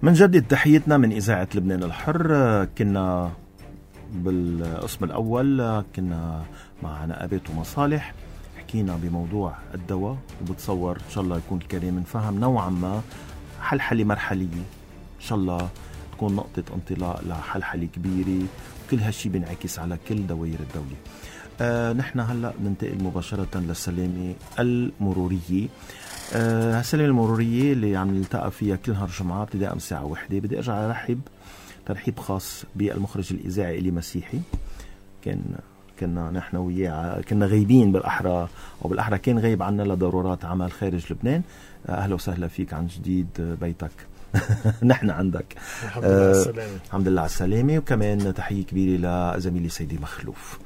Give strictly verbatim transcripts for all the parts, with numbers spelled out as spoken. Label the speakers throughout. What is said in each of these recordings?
Speaker 1: من جدد تحيتنا من إذاعة لبنان الحر. كنا بالقسم الأول كنا مع نقابات ومصالح، حكينا بموضوع الدواء، وبتصور إن شاء الله يكون الكريم نفهم نوعا ما حلحلة مرحلية، إن شاء الله تكون نقطة انطلاق لحلحلة كبيرة، وكل هالشي بينعكس على كل دوائر الدولة. آه نحن هلأ ننتقل مباشرة للسلامة المرورية. آه السلامة المرورية اللي عم نلتقى فيها كل نهار جمعة ابتداء من الساعة واحدة. بدي أرجع أرحب ترحيب خاص بالمخرج الإذاعي إلي مسيحي. كان كنا نحن وياه كنا غايبين بالأحرى، أو بالأحرى كان غايب عنا لضرورات عمل خارج لبنان. آه أهلا وسهلا فيك عن جديد بيتك. نحن عندك.
Speaker 2: الحمد لله على السلامة.
Speaker 1: الحمد لله على السلامة. وكمان تحية كبيرة لزميلي سيدي مخلوف.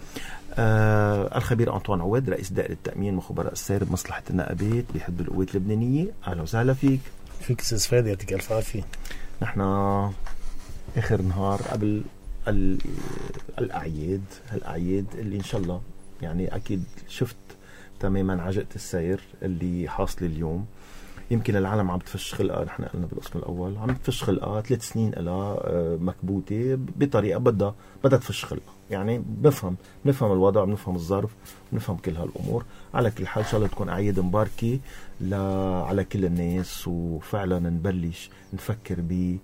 Speaker 1: آه الخبير أنطوان عواد رئيس دائرة التأمين وخبراء السير بمصلحة النقابات بحزب القوات اللبنانية. أهلا وسهلا فيك.
Speaker 2: فيك أستاذ فادي، يعطيك ألف عافية.
Speaker 1: نحن آخر نهار قبل الأعياد، الأعياد اللي إن شاء الله يعني أكيد شفت تماما عجقة السير اللي حاصل اليوم. يمكن العالم عم تفش خلقها، نحن قلنا بالقسم الأول عم تفش خلقها ثلاث سنين لها مكبوتة بطريقة بدها بدها تفش خلقها. يعني بفهم بنفهم الوضع، بنفهم الظرف، بنفهم كل هالأمور. على كل حال إن شاء الله تكون أعياد مباركة على كل الناس، وفعلا نبلش نفكر ب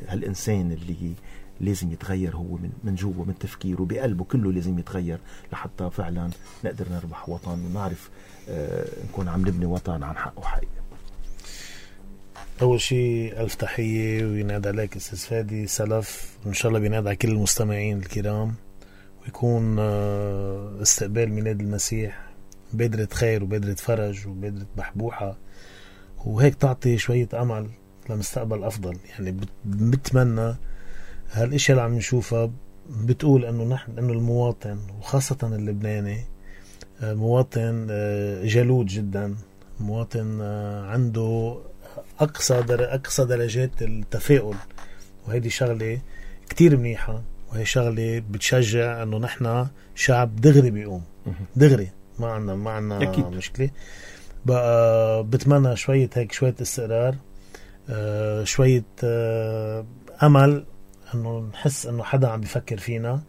Speaker 1: هالإنسان اللي لازم يتغير هو من من جوا، من تفكيره بقلبه كله لازم يتغير لحتى فعلا نقدر نربح وطن ونعرف آه نكون عم نبني وطن عن حقه حقيقي.
Speaker 2: أول شيء ألف تحية وينادى عليك أستاذ فادي سلف، وإن شاء الله بينادى على كل المستمعين الكرام، ويكون آه استقبال ميلاد المسيح بادرة خير وبادرة فرج وبادرة محبوحة، وهيك تعطي شوية أمل لمستقبل أفضل. يعني بتمنى هالاشياء اللي عم نشوفها بتقول انه نحن انه المواطن وخاصة اللبناني مواطن جلود جدا، مواطن عنده اقصى در اقصى درجات التفاؤل، وهذه شغلة كتير منيحة، وهي شغلة بتشجع انه نحن شعب دغري بيقوم دغري، ما عنا ما عنا مشكلة. بقى بتمنى شوية هيك شوية استقرار، شوية امل، انه نحس انه حدا عم بيفكر فينا.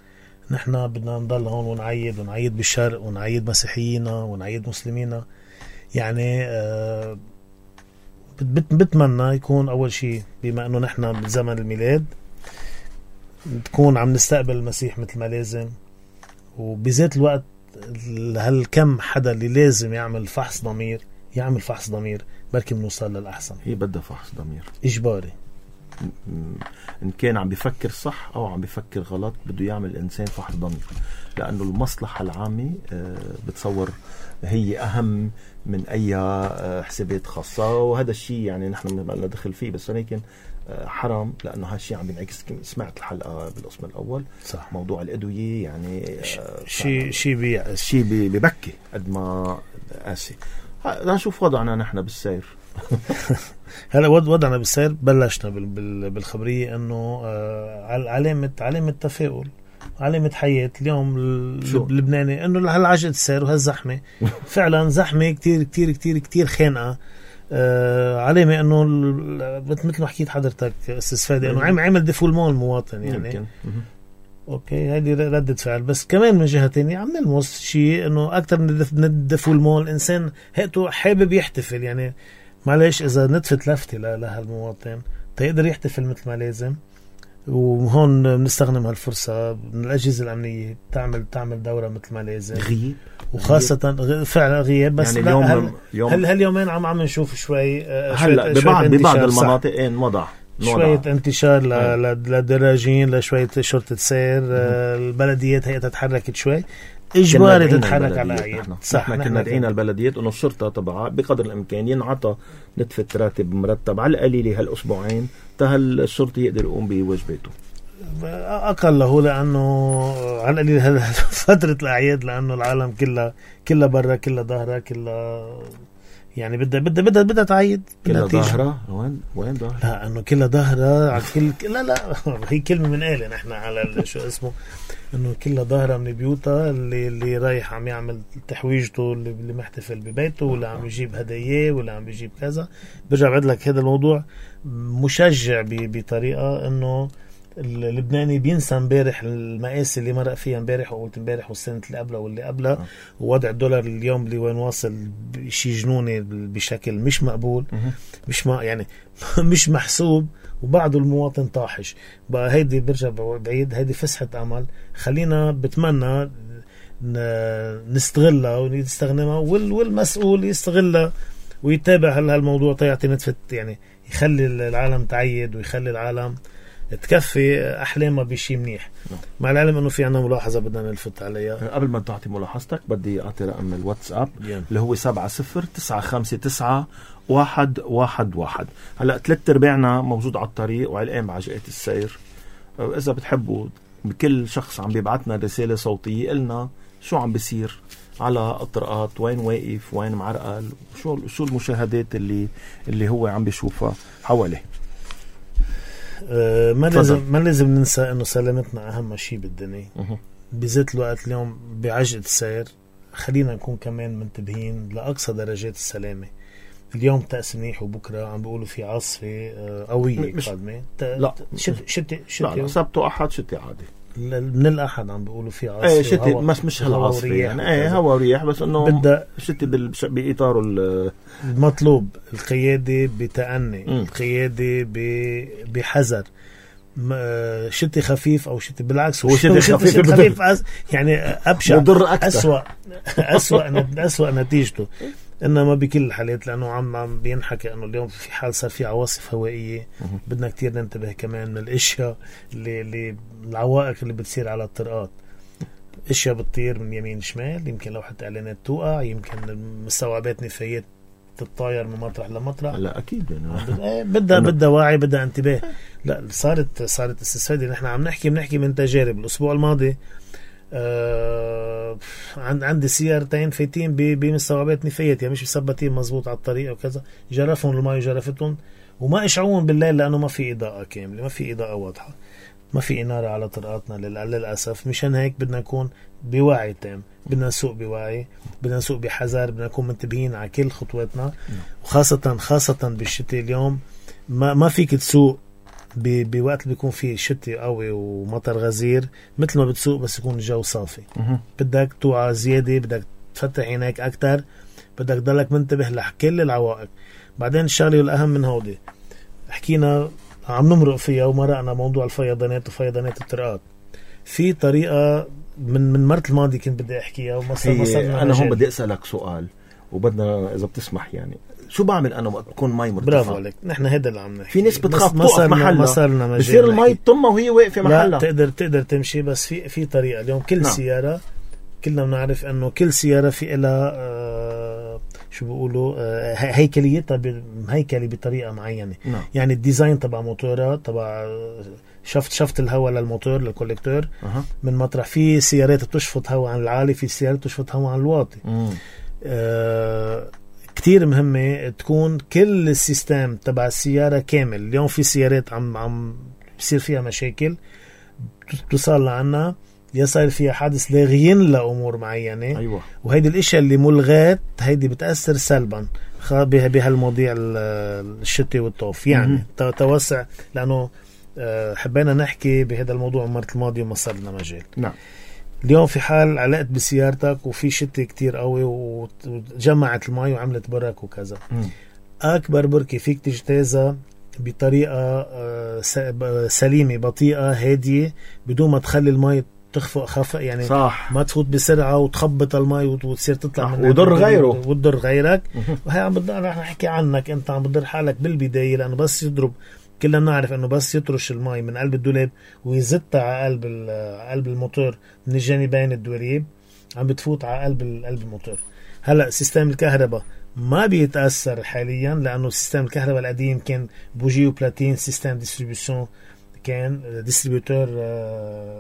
Speaker 2: نحن بدنا نضل هون ونعيد ونعيد بالشرق ونعيد مسيحيينا ونعيد مسلمينا. يعني آه بتمنى يكون اول شيء بما انه نحن بزمن الميلاد تكون عم نستقبل المسيح مثل ما لازم، وبذات الوقت هالكم حدا اللي لازم يعمل فحص ضمير يعمل فحص ضمير، بركي بنوصل للأحسن.
Speaker 1: هي بدها فحص ضمير
Speaker 2: إجباري،
Speaker 1: إن كان عم بيفكر صح أو عم بيفكر غلط بده يعمل الإنسان فحص ضمير، لأنه المصلحة العامة بتصور هي أهم من أي حسابات خاصة. وهذا الشيء يعني نحن ما لنا دخل فيه، بس ولكن حرام، لأنه هالشيء عم بينعكس. سمعت الحلقة بالقسم الأول صح. موضوع الأدوية يعني
Speaker 2: شيء شيء بي
Speaker 1: شيء ببكي قد ما قاسي. نشوف وضعنا نحن بالسير.
Speaker 2: هلا وضعنا بالسير بلشنا بالخبرية انه علامة علامة تفاؤل، علامة حياة اليوم اللبناني، انه هالعجلة السير وهالزحمة فعلا زحمة كتير كتير كتير كتير خانقة. علامة انه مثل ما حكيت حضرتك استاذ فادي انه عمل ديفولمون المواطن يعني. اوكي هذه ردة فعل، بس كمان من جهة تانية عم نلمس شيء انه اكتر من الديفولمون الانسان هيئته حابب يحتفل. يعني معلش اذا نتفت لفتة لهالمواطن تقدر يحتفل مثل ما لازم، وهون بنستخدم هالفرصة من الأجهزة الأمنية تعمل تعمل دورة مثل ما لازم.
Speaker 1: غياب
Speaker 2: وخاصة غي... فعلا غياب، بس يعني اليوم هل... يوم... هل هاليومين عم عم نشوف شوي
Speaker 1: هلا ببعض ببعض المناطق ان وضع
Speaker 2: شوية انتشار ل... للدراجين، لشوية شرطة سير. البلديات هي تتحركت شوي إجباري تتحرك على الأعياد.
Speaker 1: صح، نحن كنا دعينا البلديات إنه الشرطة طبعا بقدر الإمكان ينعطى نتفة راتب مرتب على القليلة هالأسبوعين تهل الشرطي يقدر يقوم بواجباته
Speaker 2: أقله، لأنه على القليلة فترة الأعياد، لأنه العالم كلها كلها برا كلها ظاهرة كلها يعني بدها بدها بدها بدها تعيد
Speaker 1: كلها ظاهرة. وين وين ظاهرة؟
Speaker 2: لا انه كلها ظاهرة على كل لا لا هي كلمة من قالة نحن على شو اسمه انه كلها ظاهرة من بيوتها اللي اللي رايح عم يعمل تحويجته اللي, اللي محتفل ببيته ولا عم يجيب هدايا ولا عم يجيب كذا. برجع بعد لك هذا الموضوع مشجع بطريقة انه اللبناني بينسى امبارح المقاسي اللي مرق فيها امبارح وقلت امبارح والسنة اللي قبلها واللي قبلها أه. ووضع الدولار اليوم اللي وين واصل شيء جنوني بشكل مش مقبول أه. مش ما يعني مش محسوب وبعض المواطن طاحش بقى. هيدي برجع بعيد هيدي فسحة أمل. خلينا بتمنى نستغلها ونستخدمها والمسؤول يستغلها ويتابع هالموضوع تيعطي نتفت يعني يخلي العالم تعيد ويخلي العالم تكفي أحلامها بشي منيح. مع العلم أنه في عنا ملاحظة بدنا نلفت عليها.
Speaker 1: قبل ما تعطي ملاحظتك بدي أعطي رقم الواتساب اللي هو سبعة صفر تسعة خمسة تسعة واحد واحد واحد. هلأ ثلاث ارباعنا موجود على الطريق وعلقان بعجقات السير. إذا بتحبوا بكل شخص عم بيبعتنا رسالة صوتية قلنا شو عم بيصير على الطرقات، وين واقف، وين معرقل، شو شو المشاهدات اللي اللي هو عم بيشوفها حواليه.
Speaker 2: أه ما لازم ما لازم ننسى انه سلامتنا اهم شيء بالدنيا. أه. بذات الوقت اليوم بعجقة السير خلينا نكون كمان منتبهين لاقصى درجات السلامه. اليوم تأس منيح وبكره عم بيقولوا في عاصفه قويه قادمه.
Speaker 1: لا
Speaker 2: شتي شتي
Speaker 1: شتي سبت واحد شتي عادي.
Speaker 2: من الأحد عم بيقولوا في عاصفة.
Speaker 1: ايه شتي مش مش هالعاصفة يعني ايه هوا ورياح بس انه
Speaker 2: بدأ
Speaker 1: شتي بإطاره
Speaker 2: المطلوب. القيادة بتأني م. القيادة بحذر. شتي خفيف او شتي بالعكس
Speaker 1: هو شتي خفيف,
Speaker 2: خفيف أس يعني أبشع أسوأ أسوأ أسوأ نتيجته. انما بكل الحالات لانه عم عم بينحكى انه اليوم في حال صار في عواصف هوائيه بدنا كتير ننتبه كمان من الاشياء اللي, اللي العوائق اللي بتصير على الطرقات. اشياء بتطير من يمين شمال، يمكن لوحة اعلانات توقع، يمكن مستوعبات نفايات تتطاير من مطرح لمطرح.
Speaker 1: لا اكيد يعني
Speaker 2: بدها بدها وعي بدها انتباه. لا صارت صارت استفاده. نحن عم نحكي بنحكي من تجارب. الاسبوع الماضي آه عندي سيارتين فايتين بمستوعبات نفايات يعني مش مثبتين مزبوط على الطريق وكذا. جرفهم الماء جرفتهم وما اشعون بالليل لانه ما في اضاءه كامله، ما في اضاءه واضحه، ما في اناره على طرقاتنا للاسف. مشان هيك بدنا نكون بوعي تام، بدنا نسوق بوعي، بدنا نسوق بحذر، بدنا نكون منتبهين على كل خطواتنا. وخاصه خاصه بالشتاء اليوم ما ما فيك تسوق بوقت اللي بيكون فيه شتي قوي ومطر غزير مثل ما بتسوق بس يكون الجو صافي. بدك توعى زيادة، بدك تفتح عينيك أكتر، بدك ضلك منتبه لكل العوائق. بعدين الشغلة والأهم من هودي حكينا عم نمرق فيها ومرقنا موضوع الفيضانات وفيضانات الطرقات. في طريقة من من مرت الماضي كنت بدي أحكيها ومصرنا.
Speaker 1: أنا هون بدي أسألك سؤال وبدنا إذا بتسمح يعني شو بعمل انا وقت بكون مي مرتفعه؟
Speaker 2: برافو عليك. نحن هذا اللي عم نحكي.
Speaker 1: في ناس بتخاف توقف محلها بصير المي تطمها وهي واقفه محلها.
Speaker 2: لا تقدر تقدر تمشي بس في في طريقه. اليوم كل نعم. سياره كلنا بنعرف انه كل سياره في لها آه شو بيقولوا آه هيكليتها هيكلي بطريقه معينه. نعم. يعني الديزاين تبع موتورها تبع شفت شفت الهواء للموتور للكوليكتور أه. من مطرح في سيارات بتشفط هواء عن العالي، في سيارات بتشفط هواء عن الواطي. آه كتير مهمة تكون كل السيستم تبع السيارة كامل. اليوم في سيارات عم عم بصير فيها مشاكل توصل لعنا يا صار فيها حادث لاغيين لأمور معينة.
Speaker 1: أيوة.
Speaker 2: وهيدي الاشياء اللي ملغات هيدي بتأثر سلبا بهالمواضيع الشتي والطوف يعني م- توسع لأنه حبينا نحكي بهذا الموضوع مرة الماضي وما صار لنا مجال.
Speaker 1: نعم.
Speaker 2: اليوم في حال علقت بسيارتك وفي شتي كتير قوي وجمعت المي وعملت برك وكذا م. أكبر بركة فيك تجتازها بطريقة سليمة بطيئة هادية بدون ما تخلي المي تخفق خفق يعني
Speaker 1: صح.
Speaker 2: ما تفوت بسرعة وتخبط المي وتصير تطلع
Speaker 1: من وضر غيره
Speaker 2: وتضر غيرك. وهي عم بضل رح نحكي عنك أنت عم بضر حالك بالبداية لأنه بس يضرب. كلنا نعرف انه بس يطرش الماء من قلب الدولاب ويزتها على قلب قلب الموتور من الجانبين الدواليب عم بتفوت على قلب قلب الموتور. هلا سيستم الكهرباء ما بيتاثر حاليا لانه سيستم الكهرباء القديم كان بوجي وبلاتين سيستم ديستريبيوشن كان ديستريبيوتور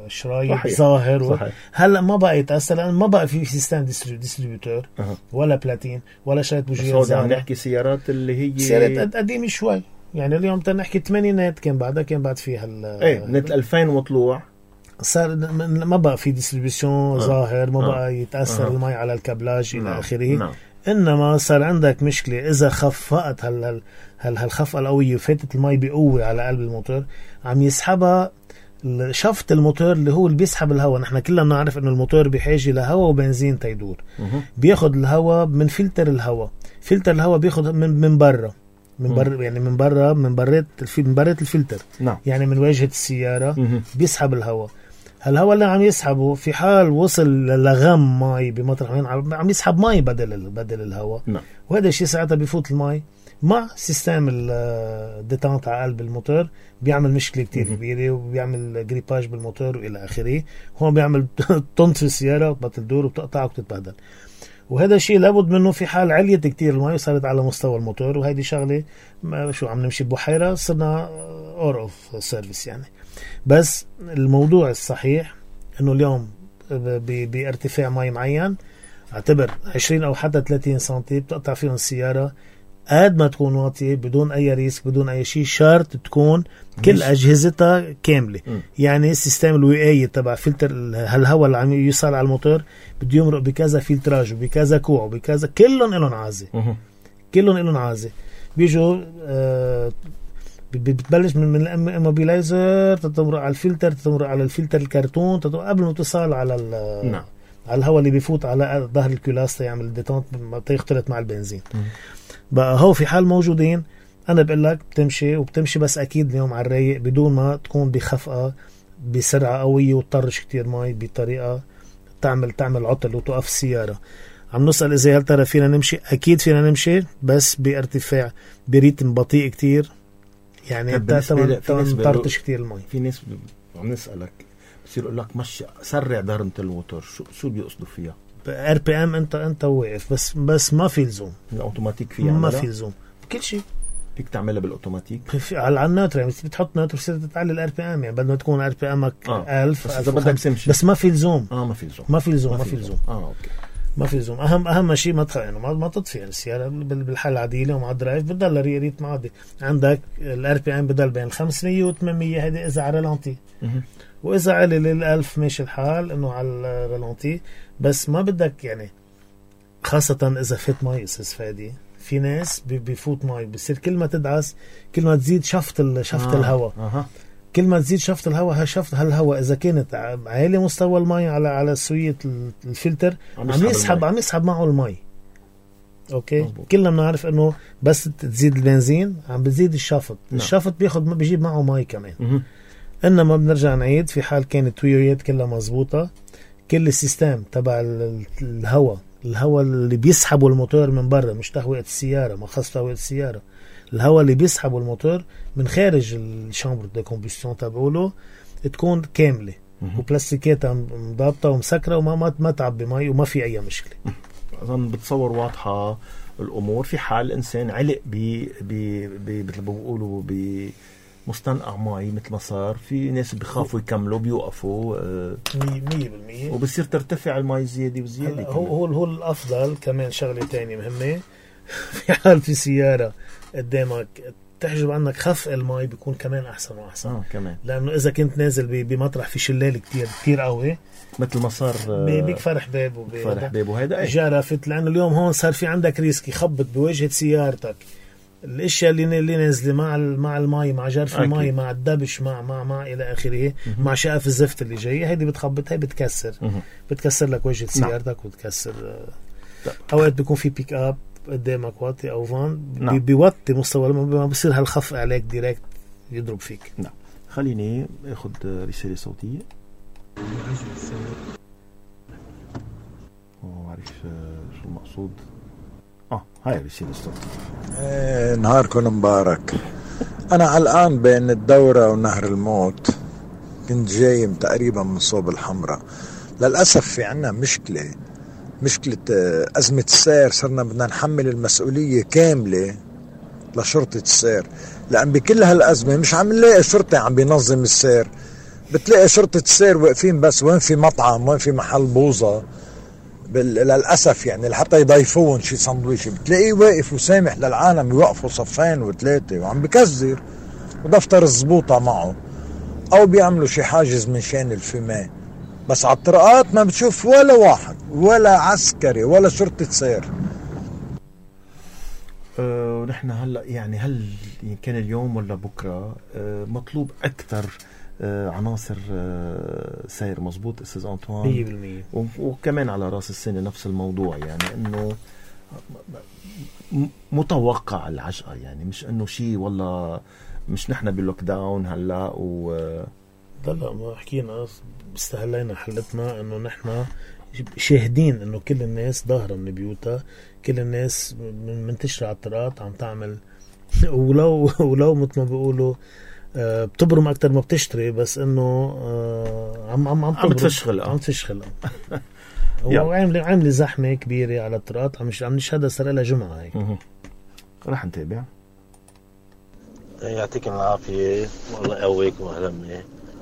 Speaker 2: شرايط
Speaker 1: صحيح.
Speaker 2: ظاهر و...
Speaker 1: صحيح.
Speaker 2: هلا ما بقى يتأثر لأن ما بقى في سيستم ديستريبيوتور
Speaker 1: أه.
Speaker 2: ولا بلاتين ولا شريط بوجيات
Speaker 1: بس
Speaker 2: زاهرة.
Speaker 1: عم نحكي سيارات اللي هي
Speaker 2: سيارات قديمة شوي، يعني اليوم تنحكي ثمانينات كان بعدها كان بعد فيها ال
Speaker 1: ايه من ألفين وطلوع
Speaker 2: صار ما بقى في ديستريبيوشن أه. ظاهر، ما
Speaker 1: أه.
Speaker 2: بقى يتأثر أه. المي على الكابلاج
Speaker 1: نعم.
Speaker 2: إلى آخره.
Speaker 1: نعم.
Speaker 2: إنما صار عندك مشكلة إذا خفقت هال هال هال هالخفقة القوية وفاتت المي بقوة على قلب الموتور، عم يسحبها شفط الموتور اللي هو اللي بيسحب الهواء. نحن كلنا بنعرف إنه الموتور بحاجة لهواء وبنزين تيدور.
Speaker 1: مه.
Speaker 2: بياخد الهواء من فلتر الهواء، فلتر الهواء بياخد من من برا من برا يعني من برا من برات من برات الفلتر.
Speaker 1: نعم.
Speaker 2: يعني من واجهة السيارة
Speaker 1: مه.
Speaker 2: بيسحب الهواء. هالهواء اللي عم يسحبه في حال وصل لغم مي بمطرح وين عم يسحب مي بدل بدل الهواء.
Speaker 1: نعم.
Speaker 2: وهذا الشيء ساعتها بيفوت المي مع سيستم الديتانت على قلب الموتور، بيعمل مشكلة كتير كبيرة وبيعمل جريباج بالموتور وإلى آخره. هون بيعمل طنط في السيارة وبطل تدور وبتقطع وبتتبهدل. وهذا الشيء لابد منه في حال عليت كتير المي وصارت على مستوى الموتور. وهيدي شغلة شو عم نمشي ببحيرة صرنا اور اوف سيرفيس يعني. بس الموضوع الصحيح انه اليوم بارتفاع مي معين، اعتبر عشرين او حتى ثلاثين سنتي بتقطع فيهم السيارة قد ما تكون واطية بدون اي ريسك بدون اي شيء، شرط تكون كل اجهزتها كاملة. م. يعني السيستم الوقاية تبع فلتر هالهواء اللي عم يوصل على الموتور بده يمرق بكذا فلتراج وبكذا كوع وبكذا، كلهم لهم عازة. كلهم لهم عازة. بيجوا آه بتبلش من من الاموبيلايزر تتمرق على الفلتر، تتمرق على الفلتر الكرتون قبل ما توصل على
Speaker 1: نعم.
Speaker 2: على الهواء اللي بيفوت على ظهر الكولاس يعمل ديتونت ما يختلط مع البنزين. م. بقى هو في حال موجودين انا بقول لك بتمشي وبتمشي، بس اكيد اليوم على الرايق بدون ما تكون بخفقه بسرعه قويه وتطرش كتير مي بطريقه تعمل تعمل عطل وتوقف السياره. عم نسال اذا هل ترى فينا نمشي؟ اكيد فينا نمشي بس بارتفاع بريتم بطيء كتير، يعني تطرش كتير المي.
Speaker 1: في ناس عم نسالك بصير يقول لك مشي سرع درمة الموتور، شو شو بيقصدوا فيها؟
Speaker 2: ار بي ام انت انت واقف بس بس ما في لزوم.
Speaker 1: الاوتوماتيك فيها
Speaker 2: ما في لزوم كل شيء
Speaker 1: فيك تعملها بالاوتوماتيك
Speaker 2: على النوتر. يعني بتحط نوتر بتصير تتعلي الار بي ام، يعني بدل ما تكون ار بي امك
Speaker 1: آه.
Speaker 2: ألف
Speaker 1: بس اذا بدك تمشي
Speaker 2: بس ما في لزوم.
Speaker 1: اه ما في لزوم
Speaker 2: ما في لزوم ما في لزوم
Speaker 1: اه اوكي
Speaker 2: ما في لزوم. اهم اهم شيء ما تخ... يعني ما ما تطفي يعني السياره بالحاله العاديه ومع الدرايف بتضل ريت عادي. عندك الار بي ام بضل بين خمسمية و ثمانمية، هذه اذا على رالانتي، واذا على للألف ماشي الحال انه على الرالانتي. بس ما بدك يعني خاصة إذا فات مي أستاذ فادي، في ناس بيفوت مي بصير كل ما تدعس كل ما تزيد شفط شفط آه. الهواء
Speaker 1: آه.
Speaker 2: كل ما تزيد شفط الهواء هالشفط هالهواء إذا كانت عالي مستوى المي على على سوية الفلتر عم, عم يسحب عم يسحب معه المي. أوكي مزبوط. كلنا بنعرف إنه بس تزيد البنزين عم بتزيد الشفط. نعم. الشفط بياخد بيجيب معه مي كمان. م- إنما بنرجع نعيد في حال كانت تويريات كلها مزبوطة، كل السيستم تبع الهواء الهواء اللي بيسحبوا الموتور من برا، مش تهوية السيارة، ما خاص تهوية السيارة، الهواء اللي بيسحبوا الموتور من خارج الشامبر دو كومبوستيون تبعوله تكون كاملة وبلاستيكاتها مضابطة ومسكرة وما ما ما تعبي مي وما في أي مشكلة.
Speaker 1: أظن بتصور واضحة الأمور. في حال إنسان علق ب ب ب مثل ما بيقولوا ب مستنقع مي مثل ما صار، في ناس بيخافوا يكملوا بيوقفوا
Speaker 2: مية بالمية
Speaker 1: وبصير ترتفع المي زيادة وزيادة.
Speaker 2: هو هو هو الأفضل كمان. شغلة تانية مهمة في حال في سيارة قدامك تحجب عنك خفق المي بيكون كمان أحسن وأحسن.
Speaker 1: آه كمان.
Speaker 2: لأنه إذا كنت نازل بمطرح في شلال كتير كتير قوي
Speaker 1: مثل ما صار
Speaker 2: بيكفر حباب
Speaker 1: وبيكفر حباب وهيدا
Speaker 2: جرفت، لأنه اليوم هون صار في عندك ريسك يخبط بواجهة سيارتك الاشياء اللي اللي نازله مع مع المي مع جرف المي مع الدبش مع مع مع الى اخره مع شقف الزفت اللي جاي، هيدي بتخبط هي بتكسر مه. بتكسر لك وجهه سيارتك. نعم. وتكسر اوقات بيكون في بيك اب قدامك واطي او فان. نعم. بيوطي مستوى ما بصير هالخفق عليك ديريكت يضرب فيك.
Speaker 1: نعم. خليني اخذ رساله صوتيه. ما بعرف شو المقصود. اه هاي رسالة الصوت.
Speaker 3: ايه نهاركم مبارك. انا علقان بين الدورة ونهر الموت، كنت جاي تقريبا من صوب الحمراء. للأسف في عنا مشكلة مشكلة أزمة السير، صرنا بدنا نحمل المسؤولية كاملة لشرطة السير، لأن بكل هالأزمة مش عم نلاقي شرطة عم بينظم السير. بتلاقي شرطة السير واقفين بس وين في مطعم وين في محل بوظة للأسف يعني لحتى يضيفوهم شي سندويشة، بتلاقيه واقف وسامح للعالم يوقفوا صفين وثلاثة وعم بكزر ودفتر الزبوطة معه، أو بيعملوا شي حاجز من شان الفماء. بس على الطرقات ما بتشوف ولا واحد ولا عسكري ولا شرطة سير.
Speaker 1: أه ونحن هلا يعني هل كان اليوم ولا بكره أه مطلوب اكثر أه عناصر أه سير؟ مزبوط استاذ انطوان؟
Speaker 2: مية بالمية.
Speaker 1: وكمان على راس السنه نفس الموضوع، يعني انه متوقع العجقه، يعني مش انه شيء والله مش نحن باللوك داون هلا و
Speaker 2: لا لا ما حكينا استهلينا حلتنا انه نحن شاهدين انه كل الناس ظاهره من بيوتها، كل الناس منتشره على الطرقات عم تعمل ولو ولو مثل ما بيقولوا آه بتبرم اكثر ما بتشتري، بس انه آه عم عم عم
Speaker 1: عم تفشخل
Speaker 2: عم تفشخل هو عامل عامل زحمه كبيره على الطرقات، عم عم نشهدها صار لها جمعه هيك.
Speaker 1: رح نتابع.
Speaker 4: يعطيكم العافيه والله يقويكم واهلا.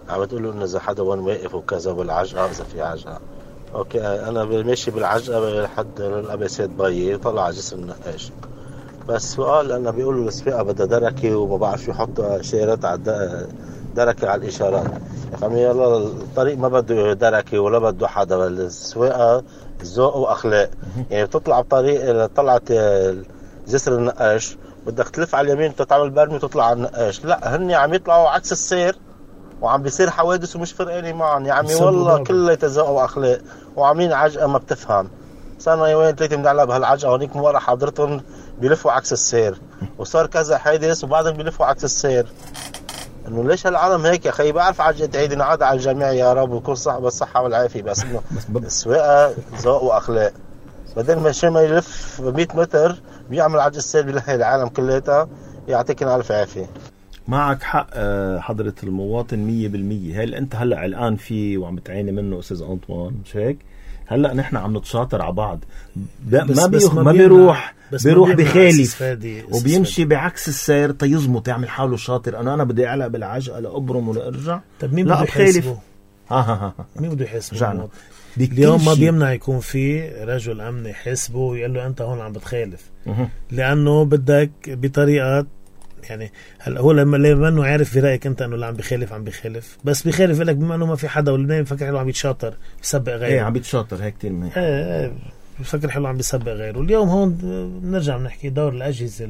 Speaker 4: عم تقولوا انه اذا حدا وين واقف وكذا بالعجقه، اذا في عجقه اوكي انا ماشي بالعجقه لحد الابسات بيي وطلع جسر النقاش، بس سؤال انا بيقولوا السواقه بدها دركه وما بعرف شو يحطوا اشارات على دركه على الاشارات. يا عمي يلا الطريق ما بده دركه ولا بده حدا، السواقه ذوق واخلاق. يعني بتطلع بطريق طلعت جسر النقاش بدك تلف على اليمين وتعمل برمي وتطلع على النقاش، لا هن عم يطلعوا عكس السير وعم بيصير حوادث ومش فرقاني معهم. يا عمي والله كله تذوق واخلاق وعاملين عجقه ما بتفهم. صارنا يومين ثلاثه بنعلق بهالعجقه هونيك من ورا حضرتهم بيلفوا عكس السير، وصار كذا حادث وبعدين بيلفوا عكس السير. انه ليش هالعالم هيك يا اخي؟ بعرف عجقه عيد نعاد على الجميع يا رب ويكون صاحب الصحه والعافيه، بس انه السواقه ذوق واخلاق. بدل ما شي ما يلف مية متر بيعمل عجقه السير بيلهي العالم كلياتها. يعطيكم الف عافيه.
Speaker 1: معك حق حضرة المواطن مية بالمية. هل انت هلأ الآن في وعم بتعاني منه أستاذ أنطوان مش هيك؟ هلأ نحن عم نتشاطر على بعض، ما بيخ ما بيروح بيروح بخالف وبيمشي بعكس السير تيزمط يعمل حاله شاطر. أنا أنا بدي أعلق بالعجقة لأبرم ولا أرجع.
Speaker 2: طب مين بده يحاسبه؟
Speaker 1: ها ها ها
Speaker 2: مين بده يحاسبه؟ اليوم ما بيمنع يكون في رجل أمن يحاسبه ويقول له أنت هون عم بتخالف، لأنه بدك بطريقة يعني. هلا هو لما لما انه عارف في رايك انت انه اللي عم بخالف عم بخالف، بس بخالف لك بما انه ما في حدا واللي بفكر حلو عم يتشاطر بسبق غيره.
Speaker 1: ايه عم يتشاطر هيك كثير منيح.
Speaker 2: ايه ايه بفكر حلو عم بسبق غيره. اليوم هون بنرجع بنحكي دور الاجهزه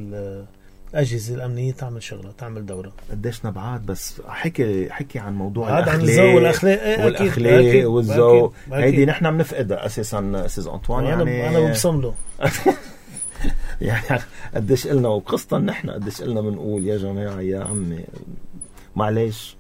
Speaker 2: الاجهزه الامنيه تعمل شغله تعمل دوره.
Speaker 1: قديش نبعات بس حكي حكي عن موضوع
Speaker 2: الاخلاق عن الذوق والاخلاق ايه
Speaker 1: والاخلاق والذوق. هيدي نحن بنفقدها اساسا استاذ انطوان. يعني
Speaker 2: انا ببصم له
Speaker 1: يعني قديش قلنا وقصة نحن قديش قلنا بنقول يا جماعة يا عمي معلش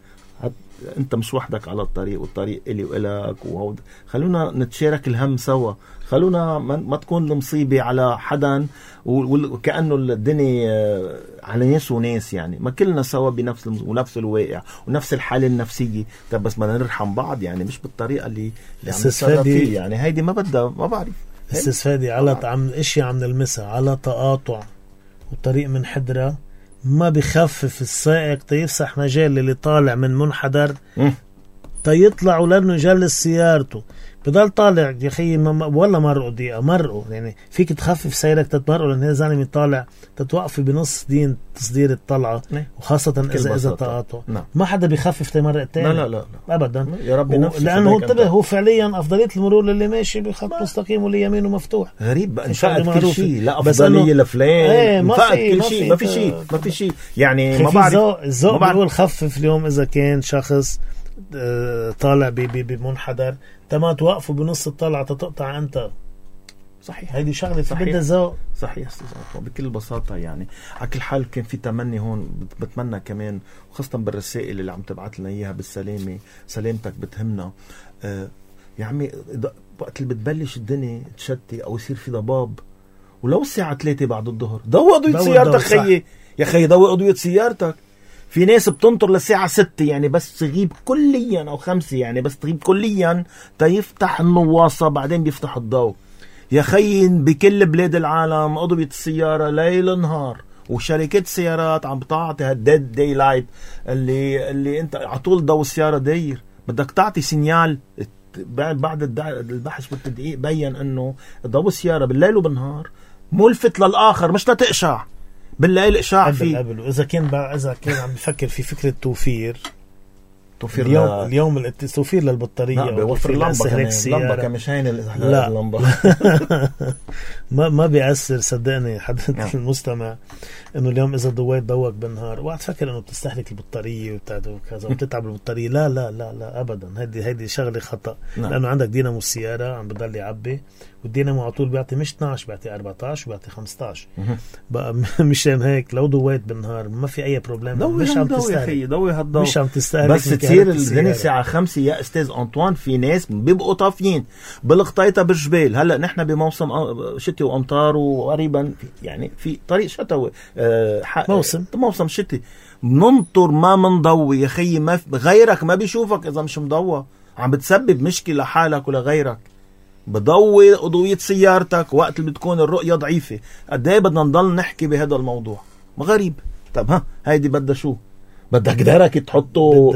Speaker 1: انت مش وحدك على الطريق والطريق إلي وإلك وهود. خلونا نتشارك الهم سوا، خلونا ما تكون المصيبة على حدا وكأنه الدنيا على ناس وناس. يعني ما كلنا سوا بنفس ونفس الواقع ونفس الحالة النفسية. طب بس ما نرحم بعض يعني مش بالطريقة اللي, اللي عم نتصرف فيه. يعني هيدي ما بدها ما بعرف
Speaker 2: استفادي على عم اشياء عم نلمسها على تقاطع والطريق من حدرة ما بخفف السائق تيفسح مجال اللي طالع من منحدر تيطلع ولانه يجلس سيارته بضل طالع يا اخي ولا مرقوا دقيقه مرقوا. يعني فيك تخفف سيرك تتمرقوا لان هذا زلمه طالع تتوقفي بنص دين تصدير الطلعه وخاصه اذا اذا تقاطع ما حدا بيخفف تمرق تاني.
Speaker 1: لا لا لا, لا.
Speaker 2: ابدا
Speaker 1: يا ربي
Speaker 2: نفسه لانه هو انتبه هو فعليا افضليه المرور اللي ماشي بخط مستقيم واللي يمينه مفتوح.
Speaker 1: غريب بقى انفقد كل شيء لا افضليه لفلان انفقد كل شيء ما في شيء ما في شيء يعني ما بعرف
Speaker 2: الذوق بيقول خفف. اليوم اذا كان شخص طالع بمنحدر تما توقفوا بنص الطلعة تتقطع أنت.
Speaker 1: صحيح
Speaker 2: هيدي شغلة بدها ذوق.
Speaker 1: صحيح استاذ بكل بساطة. يعني على كل حال كان في تمني هون بتمنى كمان وخاصة بالرسائل اللي عم تبعت لنا إياها بالسلامة سلامتك بتهمنا. آه يا عمي وقت اللي بتبلش الدنيا تشتي أو يصير في ضباب ولو الساعة ثلاثة بعد الظهر ضوء أضوية سيارتك خيي يا خي ضوء أضوية سيارتك. في ناس بتنطر للساعة ستة يعني بس تغيب كليا أو خمسة يعني بس تغيب كليا تيفتح النواصة بعدين بيفتح الضوء. يا خي بكل بلاد العالم أضوية السيارة ليل نهار وشركات السيارات عم بتعطي هالديد داي لايت اللي اللي انت على طول ضوء السياره داير. بدك تعطي سينيال. بعد البحث والتدقيق بين انه ضوء السياره بالليل وبالنهار ملفت للاخر، مش لتقشع. بالليل اشعاع فيه.
Speaker 2: قبل واذا كان اذا كان عم بفكر في فكره توفير
Speaker 1: توفير
Speaker 2: اليوم
Speaker 1: ل...
Speaker 2: اليوم التوفير للبطاريه
Speaker 1: لا بيوفر اللمبه كمان. اللمبه كمش هين
Speaker 2: لا
Speaker 1: اللمبه
Speaker 2: ما ما بيأثر صدقني حضرتك المستمع انه اليوم اذا ضويت ضوك بالنهار وقت فكر انه بتستهلك البطاريه وبتاعته وكذا وبتتعب البطاريه. لا لا لا لا ابدا. هيدي هيدي شغله خطا. نعم. لانه عندك دينامو السياره عم بضل يعبي والدينامو على طول بيعطي مش اثناشر بيعطي أربعة عشر وبيعطي خمسة عشر. بقى مشان هيك لو ضويت بالنهار ما في اي بروبليم. مش عم تستهلك
Speaker 1: ضوي هالضوء
Speaker 2: مش عم تستهلك.
Speaker 1: بس تصير الدنيا الساعه خمسة يا استاذ انطوان في ناس بيبقوا طافيين بالقطيطه بالجبال. هلا نحن بموسم شتي وامطار وقريبا يعني في طريق شتوي أه
Speaker 2: موسم
Speaker 1: موسم شتي بننطر ما منضوي يا خيي. ما غيرك ما بيشوفك اذا مش مضوى. عم بتسبب مشكله لحالك ولا غيرك. بضوي أضوية سيارتك وقت اللي بتكون الرؤية ضعيفة. قد ايه بدنا نضل نحكي بهذا الموضوع غريب. طب ها هيدي بدها شو؟ بدك درك تحطه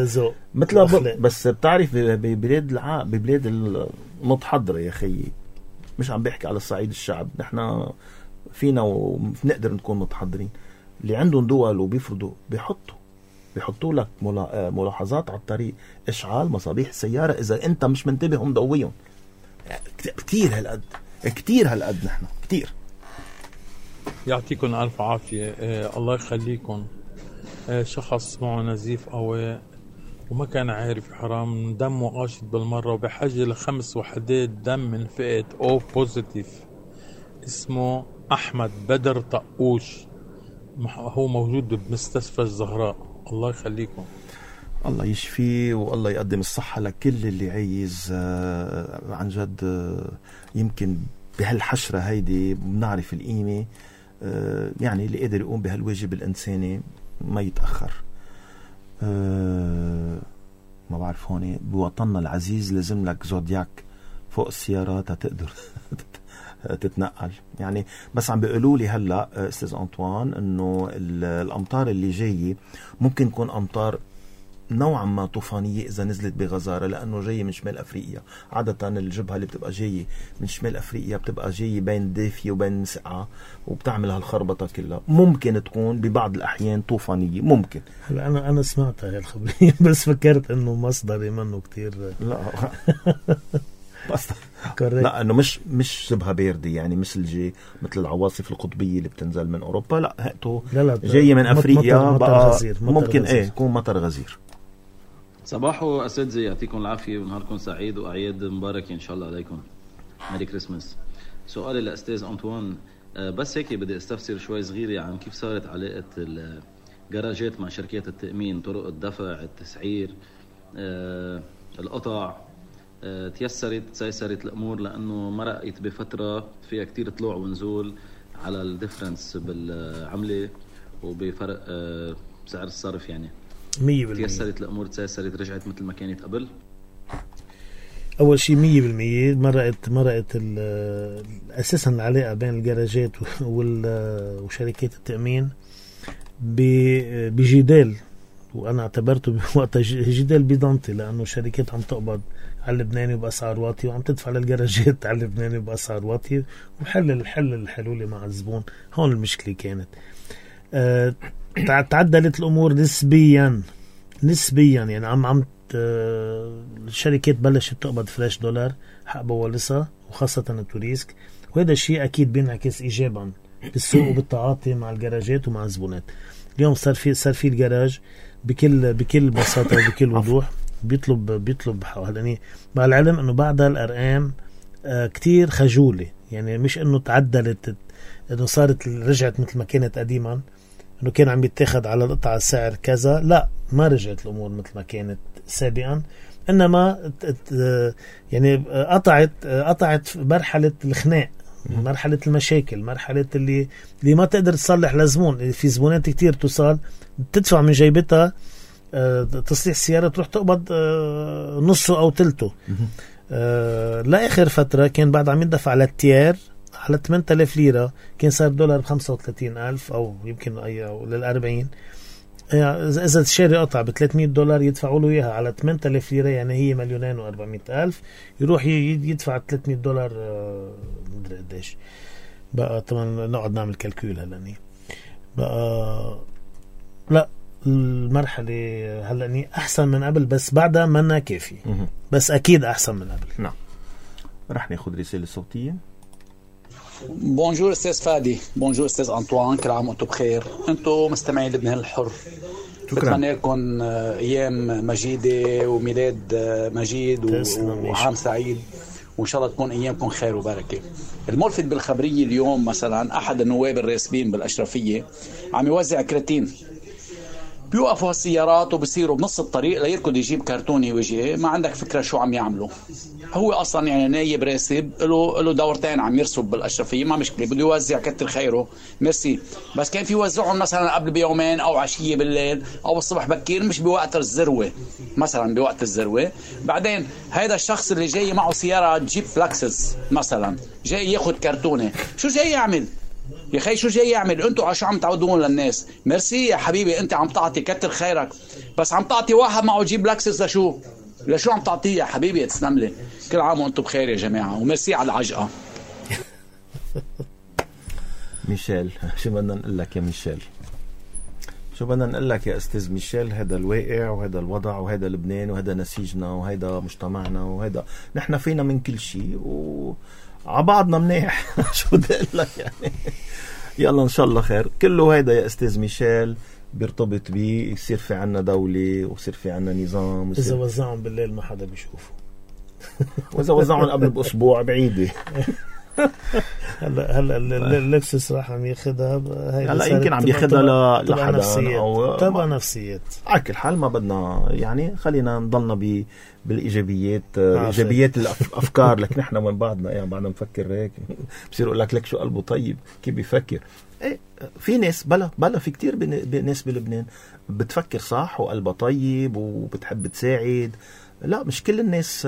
Speaker 1: مثل ب... بس بتعرف ببلاد الع... ببلاد المتحضرة يا خيي. مش عم بيحكي على الصعيد الشعب. نحن فينا ونقدر نكون متحضرين. اللي عندهم دول وبيفرضوا بيحطوا بيحطوا لك ملاحظات على الطريق. اشعال مصابيح السيارة اذا انت مش منتبه مضويهم. كتير هالقد كتير هالقد نحن كتير.
Speaker 5: يعطيكم ألف عافية. آه الله يخليكم. آه شخص معه نزيف قوي وما كان عارف حرام دمه قاشط بالمرة وبحاجة لخمس وحدات دم من فئة او بوزيتيف. اسمه أحمد بدر طقوش. هو موجود بمستشفى الزهراء. الله يخليكم.
Speaker 1: الله يشفيه والله يقدم الصحة لكل اللي عايز. عن جد يمكن بهالحشرة هيدي بنعرف القيمة. يعني اللي قادر يقوم بهالواجب الإنساني ما يتأخر. ما بعرف هون بوطننا العزيز لازم لك زودياك فوق السيارات تقدر تتنقل. يعني بس عم بيقولوا لي هلا استاذ أنطوان انه الامطار اللي جايه ممكن تكون امطار نوعا ما طوفانية إذا نزلت بغزارة لأنه جاية من شمال أفريقيا. عادة الجبهة اللي بتبقى جاية من شمال أفريقيا بتبقى جاية بين دافية وبين سقعة وبتعمل هالخربطة كلها. ممكن تكون ببعض الأحيان طوفانية ممكن.
Speaker 2: هلا أنا أنا سمعت هاي الخبرية بس فكرت إنه مصدري منه كتير.
Speaker 1: لا لا انه مش مش شبه باردة يعني مثل جي مثل العواصف القطبية اللي بتنزل من أوروبا. لا هاتو جاية من أفريقيا
Speaker 2: مطر
Speaker 1: بقى
Speaker 2: مطر غزير. مطر
Speaker 1: ممكن
Speaker 2: غزير.
Speaker 1: ايه يكون مطر غزير.
Speaker 6: صباحو أساتذة يعطيكم العافية ونهاركم سعيد وأعياد مبارك إن شاء الله عليكم. ميري كريسماس. سؤالي لأستاذ أنطوان بس هيك بدي استفسر شوي صغيرة عن كيف صارت علاقة الجراجات مع شركات التأمين. طرق الدفع التسعير أه، القطع أه، تيسرت تيسرت الأمور لأنه مرقت بفترة فيها كتير طلوع ونزول على الديفرنس بالعملة وبفرق أه، سعر الصرف. يعني
Speaker 2: مية بالمية
Speaker 6: تيسرت الأمور تيسرت رجعت مثل ما كانت قبل.
Speaker 2: أول شيء مية بالمية مرقت مرقت أساسا العلاقة بين الجراجات وشركات التأمين بجدال. وأنا اعتبرته بوقتها جدال بيضانتي لأنه الشركات عم تقبض على اللبناني بأسعار واطية وعم تدفع للجراجات على اللبناني بأسعار واطية وحل الحل الحلول مع الزبون. هون المشكلة كانت. أه تعدلت الأمور نسبيا نسبيا يعني عم عم الشركات بلشت تقبض فلاش دولار حق بوالصة وخاصة التوريسك. وهذا الشيء أكيد بينعكس إيجابا بالسوق وبالتعاطي مع الجراجات ومع الزبونات. اليوم صار في صار في الجراج بكل بكل بساطة وبكل وضوح بيطلب بيطلب هذا. مع العلم إنه بعد الأرقام آه كتير خجولة. يعني مش إنه تعدلت إنه صارت رجعت مثل ما كانت قديما إنه كان عم يتاخد على القطعة سعر كذا. لا ما رجعت الأمور مثل ما كانت سابقا. إنما يعني قطعت قطعت مرحلة الخناق مرحلة المشاكل مرحلة اللي اللي ما تقدر تصلح لزبون. في زبونات كتير توصل تدفع من جيبتها تصليح السيارة تروح تقبض نصه أو تلته. لآخر فترة كان بعد عم يدفع للتيار على ثمانية آلاف ليرة كان صار دولار بخمسة وثلاثين ألف أو يمكن أي أو للأربعين. يعني إذا تشتري قطعة بثلاثمية دولار يدفعوا له إياها على ثمانية آلاف ليرة، يعني هي مليونين وأربعمية ألف، يروح يدفع ثلاثمية دولار مدري قديش بقى. طبعا نقعد نعمل كالكول هلأني بقى. لا المرحلة هلأني أحسن من قبل، بس بعدها منا كافي، بس أكيد أحسن من قبل.
Speaker 1: نعم. رح ناخد رسالة صوتية.
Speaker 7: بونجور استاذ فادي، بونجور استاذ انطوان، كل عام وانتم بخير. انتم مستمعين لبنان الحر، بتمنى لكم ايام مجيده وميلاد مجيد وعام سعيد، وان شاء الله تكون ايامكم خير وبركه. الملفت بالخبريه اليوم مثلا احد النواب الراسبين بالاشرفيه عم يوزع كراتين، بيوقفوا هالسيارات وبصيروا بنص الطريق ليركض يجيب كرتوني وجهه. ما عندك فكره شو عم يعملوا؟ هو اصلا يعني نايب راسب له له دورتين عم يرسب بالاشرفيه، ما مشكله، بده يوزع كتر خيره ميرسي. بس كان في يوزعهم مثلا قبل بيومين او عشيه بالليل او الصبح بكير، مش بوقت الذروه، مثلا بوقت الذروه. بعدين هذا الشخص اللي جاي معه سياره جيب فلاكسس مثلا جاي ياخذ كرتونه، شو جاي يعمل يا خي؟ شو جاي يعمل؟ انتوا عشان عم تعودون للناس؟ ميرسي يا حبيبي، انت عم تعطي كتر خيرك، بس عم تعطي واحد معه جيب لاكسس لشو؟ لشو عم تعطيه يا حبيبي؟ تسلم لي، كل عام وانتم بخير يا جماعه، وميرسي على العجقه.
Speaker 1: ميشيل، شو بدنا نقول لك يا ميشيل؟ شو بدنا نقول لك يا استاذ ميشيل؟ هذا الواقع وهذا الوضع وهذا لبنان وهذا نسيجنا وهذا مجتمعنا وهذا نحن فينا من كل شيء و عبعضنا منيح. شو بدي اقول لك يعني؟ يلا ان شاء الله خير. كله هيدا يا استاذ ميشيل بيرتبط بيه يصير في عنا دولة ويصير في عنا نظام.
Speaker 2: اذا وزعهم بالليل ما حدا بيشوفه،
Speaker 1: واذا وزعهم قبل باسبوع بعيدة.
Speaker 2: هلا هلا اللكسس راح عم ياخذها،
Speaker 1: هلا يمكن عم ياخذها لحدا
Speaker 2: او تبع نفسيات.
Speaker 1: على كل حال ما بدنا يعني خلينا نضلنا ب بالايجابيات، ايجابيات الافكار. لك نحن من بعضنا يعني بعدنا نفكر هيك بصير يقول لك لك شو قلبه طيب كيف بيفكر. ايه في ناس بلا بلا في كتير ناس بلبنان بتفكر صح وقلبها طيب وبتحب تساعد. لا مش كل الناس،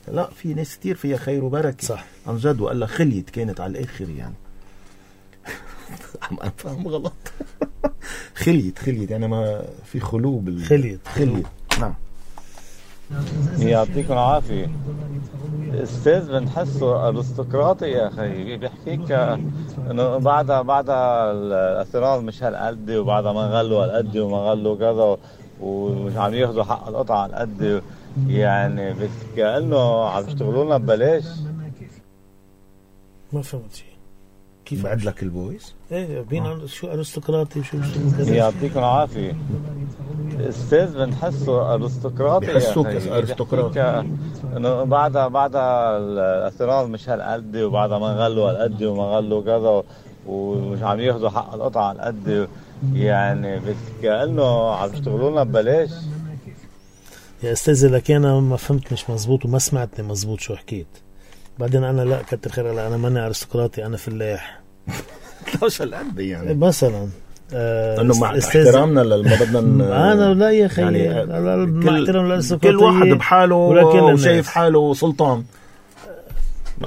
Speaker 1: لا في ناس كتير فيها خير وبركة
Speaker 2: صح
Speaker 1: عن جد. وقال خليت كانت على الآخر يعني. عم أفهم غلط. خليت خليت يعني ما في خلو بال
Speaker 2: خليت
Speaker 1: خليت. نعم.
Speaker 8: يعطيكم العافية. استاذ بنحسه ارستقراطي يا اخي، بيحكيك انه بعدها بعدها الاثيرات مش هالقد وبعدها ما غلوا هالقد وما غلوا كذا ومش عم ياخذوا حق القطعة هالقد، يعني بس كأنه عم يشتغلوا لنا ببلاش.
Speaker 2: ما فهمت شيء.
Speaker 1: كيف بعد لك البويس؟
Speaker 2: ايه بين شو ارستقراطي وشو
Speaker 8: يعطيكم العافية. استاذ بنحسه ارستقراطي يا اخي،
Speaker 1: ارستقراطي
Speaker 8: انه بعدها بعدها الاثيرات مش هالقد وبعدها ما غلوا هالقد وما غلوا كذا ومش عم ياخذوا حق القطعة هالقد، يعني بس كأنه عم يشتغلوا لنا ببلاش.
Speaker 2: يا استاذ لك انا ما فهمت مش مزبوط وما سمعتني مزبوط شو حكيت. بعدين انا لا كتر خير، انا ماني ارستقراطي، انا فلاح.
Speaker 1: ليش هالقد يعني
Speaker 2: مثلا
Speaker 1: آه انه مع احترامنا لما بدنا
Speaker 2: انا لا يا اخي يعني مع احترام
Speaker 1: للارستقراطيه، كل واحد بحاله وشايف حاله سلطان.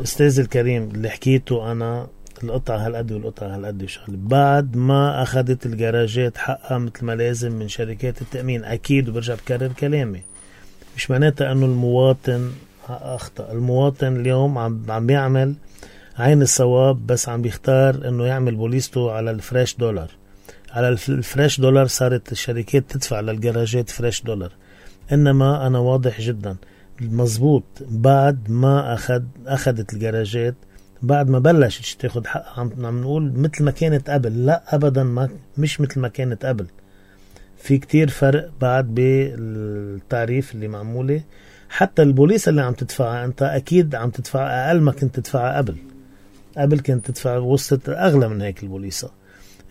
Speaker 2: استاذ الكريم اللي حكيته انا القطعة هالقد والقطعة هالقد وشغله، بعد ما أخذت الجراجات حقها مثل ما لازم من شركات التأمين أكيد. وبرجع بكرر كلامي، مش معناتها أنه المواطن أخطأ. المواطن اليوم عم عم بيعمل عين الصواب، بس عم بيختار أنه يعمل بوليسته على الفريش دولار. على الفريش دولار صارت الشركات تدفع للجراجات فريش دولار. إنما أنا واضح جدا مزبوط، بعد ما أخذ أخذت الجراجات، بعد ما بلشت تاخد حق، عم عم نقول مثل ما كانت قبل. لا ابدا، ما مش مثل ما كانت قبل. في كتير فرق بعد بالتعريف اللي معموله. حتى البوليس اللي عم تدفعها انت اكيد عم تدفع اقل ما كنت تدفعها قبل. قبل كنت تدفع وصلت اغلى من هيك البوليسه.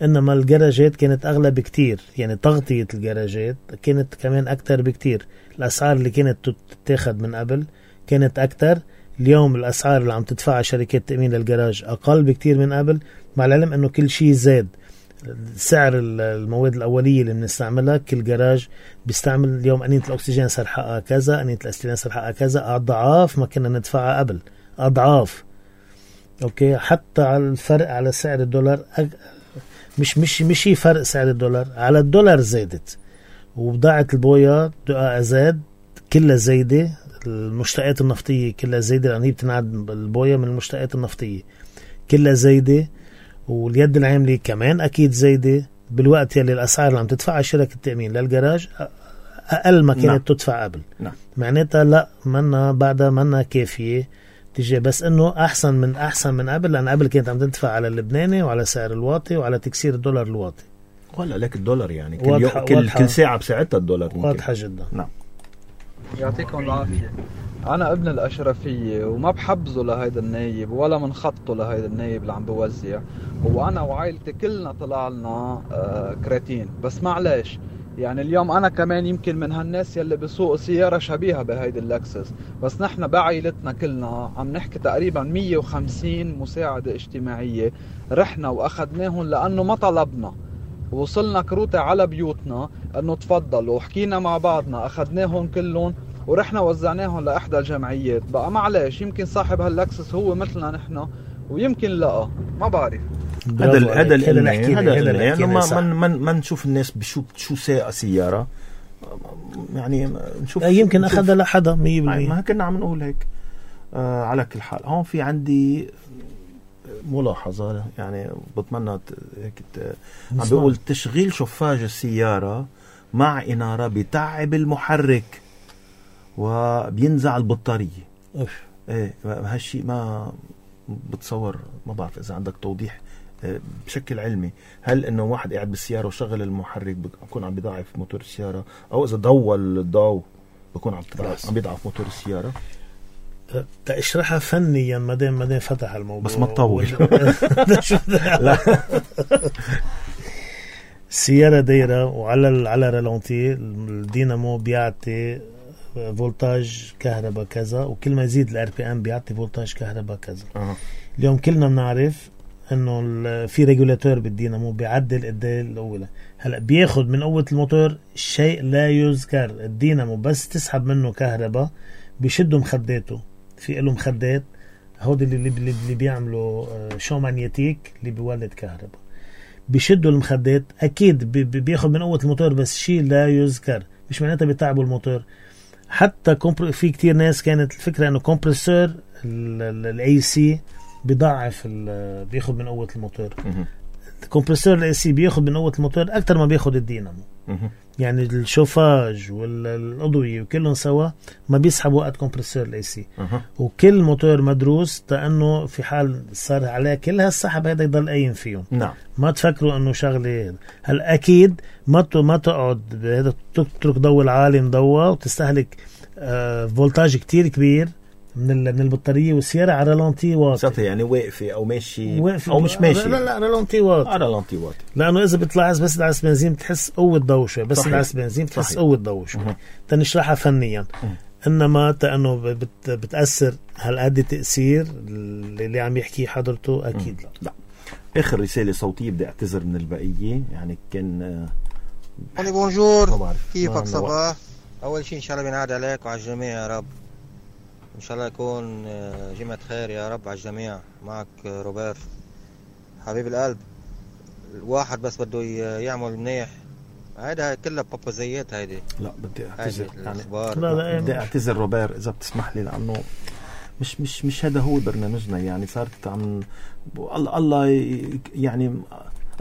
Speaker 2: انما الجراجات كانت اغلى بكتير، يعني تغطيه الجراجات كانت كمان اكتر بكتير. الاسعار اللي كانت تتاخد من قبل كانت اكتر. اليوم الأسعار اللي عم تدفعها شركات تأمين للجراج أقل بكتير من قبل، مع العلم أنه كل شيء زاد. سعر المواد الأولية اللي بنستعملها، كل جراج بيستعمل اليوم أنية الأكسجين صار حقها كذا، أنية الأستيلين صار حقها كذا، أضعاف ما كنا ندفعها قبل، أضعاف. اوكي حتى على الفرق على سعر الدولار أج... مش مش مش فرق سعر الدولار على الدولار زادت، وبضاعة البويا دقائق زاد كلها زايدة، المشتقات النفطية كلها زايدة لأن هي بتنعد البويا من المشتقات النفطية كلها زايدة، واليد العاملة كمان أكيد زايدة، بالوقت يلي الأسعار اللي عم تدفعها شركة التأمين للجراج أقل ما كانت نعم. تدفع قبل نعم. معناتها لا منا بعدها منا كافية تجي، بس إنه أحسن من أحسن من قبل، لأن قبل كانت عم تدفع على اللبناني وعلى سعر الواطي وعلى تكسير الدولار الواطي.
Speaker 1: ولا لك الدولار يعني كل, واضحة يو... كل, واضحة كل ساعة بساعتها الدولار
Speaker 2: واضحة جدا.
Speaker 1: نعم.
Speaker 9: يعطيكم العافية. أنا ابن الأشرفية وما بحبزه لهيدا النايب ولا من خطه لهيدا النايب اللي عم بوزع، وأنا وعائلتي كلنا طلع لنا آه كراتين، بس معلش يعني اليوم أنا كمان يمكن من هالناس يلي بسوق سيارة شبيهة بهيدي اللكسس، بس نحن بعائلتنا كلنا عم نحكي تقريبا مية وخمسين مساعدة اجتماعية رحنا وأخذناهم لأنه ما طلبنا، وصلنا كروتة على بيوتنا أنه تفضلوا، وحكينا مع بعضنا أخذناهم كلهم ورحنا وزعناهم لإحدى الجمعيات. بقى معلش يمكن صاحب هاللكسس هو مثلنا نحن ويمكن لا ما بعرف.
Speaker 1: هذا هذا اللي هذا اللي ما ما ما نشوف الناس بشو شو ساعة سيارة يعني نشوف
Speaker 2: يمكن أخذها لحدا مية بالمية
Speaker 1: ما كنا عم نقول هيك. آه على كل حال هون في عندي ملاحظة يعني بتمنى هيك عم بقول تشغيل شفاج السيارة مع إنارة بتعب المحرك وبينزع البطارية.
Speaker 2: أوف.
Speaker 1: ايه هالشيء ما بتصور، ما بعرف إذا عندك توضيح بشكل علمي، هل إنه واحد قاعد بالسيارة وشغل المحرك بيكون عم بيضعف موتور السيارة، أو إذا ضوى الضوء بيكون عم عم بيضعف موتور السيارة؟
Speaker 2: تشرحها فنيا ما دام ما دام فتح الموضوع
Speaker 1: بس ما تطول.
Speaker 2: لا السيارة دايرة وعلى على رالونتي، الدينامو بيعطي فولتاج كهرباء كذا، وكل ما يزيد الار بي ام بيعطي فولتاج كهرباء كذا.
Speaker 1: أه.
Speaker 2: اليوم كلنا بنعرف انه في ريجولاتور بالدينامو بيعدل قد الاولى. هلا بياخد من قوة الموتور شيء لا يذكر، الدينامو بس تسحب منه كهرباء بيشدوا مخداته، في له مخدات هودي اللي اللي, اللي بيعملوا شو مانيتيك اللي بيولد كهرباء، بيشدوا المخدات اكيد بياخد من قوة الموتور بس شيء لا يذكر، مش معناتها بيتعبوا الموتور. حتى في كتير ناس كانت الفكرة انه كومبرسور الاي سي بيضعف بياخد من قوة الموتور. الكمبرسور الاي سي بياخد من قوة الموتور اكتر ما بياخد الدينامو. يعني الشوفاج والأضوية وكلهم سوا ما بيسحبوا قد كمبرسور الاي سي. وكل موتور مدروس لانه في حال صار عليه كل هالسحب هذا يضل قايم فيهم.
Speaker 1: نعم.
Speaker 2: ما تفكروا انه شغله هل اكيد ما ما تقعد هذا تترك ضوء العالي مضوى وتستهلك آه فولتاج كتير كبير من من البطاريه، والسياره على رالونتي واطي
Speaker 1: يعني واقفه او ماشي
Speaker 2: واقفة
Speaker 1: او مش ماشي.
Speaker 2: لا لا رالونتي واطي
Speaker 1: على رالونتي واطي،
Speaker 2: لانه اذا بتلاحظ بس دعس بنزين بتحس قوه ضوء شوي، بس دعس بنزين بتحس قوه ضوء شوي. تنشرحها فنيا. مه. انما تانه بت بتاثر هالقد تاثير اللي عم يحكي حضرته اكيد. لا
Speaker 1: لا. اخر رساله صوتيه بدي اعتذر من البقيه، يعني كان
Speaker 10: آه بونجور كيفك صباح؟ اول شيء ان شاء الله بينعاد عليك وعلى الجميع يا رب، ان شاء الله يكون جمعة خير يا رب على الجميع. معك روبرت حبيب القلب. الواحد بس بده يعمل منيح، هيدا كلها بابازيات هيدي.
Speaker 1: لا بدي اعتذر يعني
Speaker 2: لا لا
Speaker 1: بدي اعتذر روبر اذا بتسمح لي، لانه مش مش مش هذا هو برنامجنا، يعني صارت عم الله الله يعني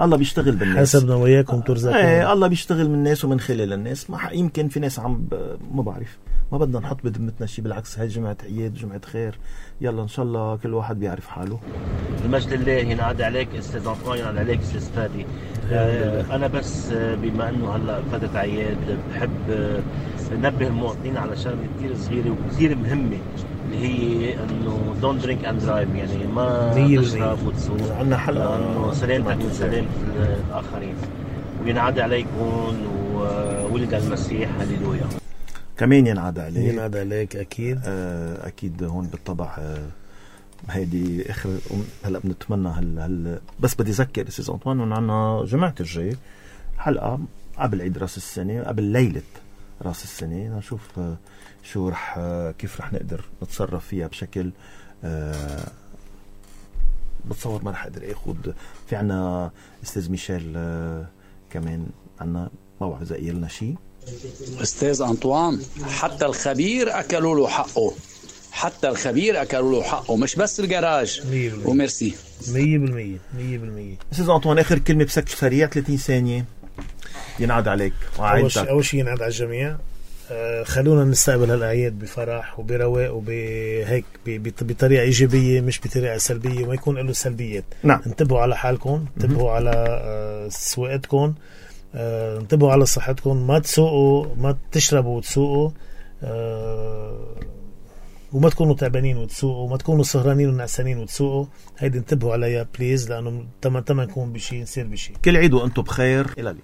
Speaker 1: الله بيشتغل بالناس
Speaker 2: حسبنا وياكم ترزقون.
Speaker 1: ايه الله بيشتغل من الناس ومن خلال الناس. ما يمكن في ناس عم ما بعرف، ما بدنا نحط بذمتنا شيء، بالعكس هاي جمعة عياد جمعة خير، يلا ان شاء الله كل واحد بيعرف حاله.
Speaker 4: المجد لله. ينعاد عليك استاذ انطوان، ينعاد عليك استاذ فادي. آه انا بس بما انه هلا فاتت عياد بحب ننبه المواطنين على شغله كثير صغيره وكثير مهمه، اللي هي انه دون درينك اند درايف، يعني ما تشرب وتسوق.
Speaker 1: عندنا حلقه
Speaker 4: انه سلامتك وسلامه الاخرين. وينعاد عليكم وولد المسيح هللويا.
Speaker 1: كمان ينعاد عليك
Speaker 2: ينعاد عليك اكيد.
Speaker 1: آه اكيد هون بالطبع. آه هيدي اخر هلا بنتمنى هل هل بس بدي اذكر استاذ انطوان انه عندنا جمعه الجاي حلقه قبل عيد راس السنه، قبل ليله راس السنه، نشوف آه شو رح آه كيف رح نقدر نتصرف فيها بشكل آه بتصور ما رح اقدر اخد. في عنا استاذ ميشيل آه كمان عنا موعظة قيلنا شيء.
Speaker 7: استاذ أنطوان، حتى الخبير أكلوا له حقه، حتى الخبير أكلوا له حقه، مش بس الجراج. وميرسي.
Speaker 2: مية بالمية مية بالمية.
Speaker 1: استاذ أنطوان، آخر كلمة بسكت سريع ثلاثين ثانية. ينعاد عليك
Speaker 2: وعائلتك. أول شيء ينعاد على الجميع. آه خلونا نستقبل هالأعياد بفرح وبرواق وبهيك بطريقة إيجابية مش بطريقة سلبية، وما يكون له سلبيات.
Speaker 1: نعم.
Speaker 2: انتبهوا على حالكم، انتبهوا على آه سواقتكم، آه انتبهوا على صحتكم، ما تسوقوا، ما تشربوا وتسوقوا، آه وما تكونوا تعبانين وتسوقوا، وما تكونوا سهرانين ونعسانين وتسوقوا. هيدي انتبهوا عليها بليز، لأنه تما تما نكون بشي نصير بشي.
Speaker 1: كل عيد وأنتم بخير. إلى اللي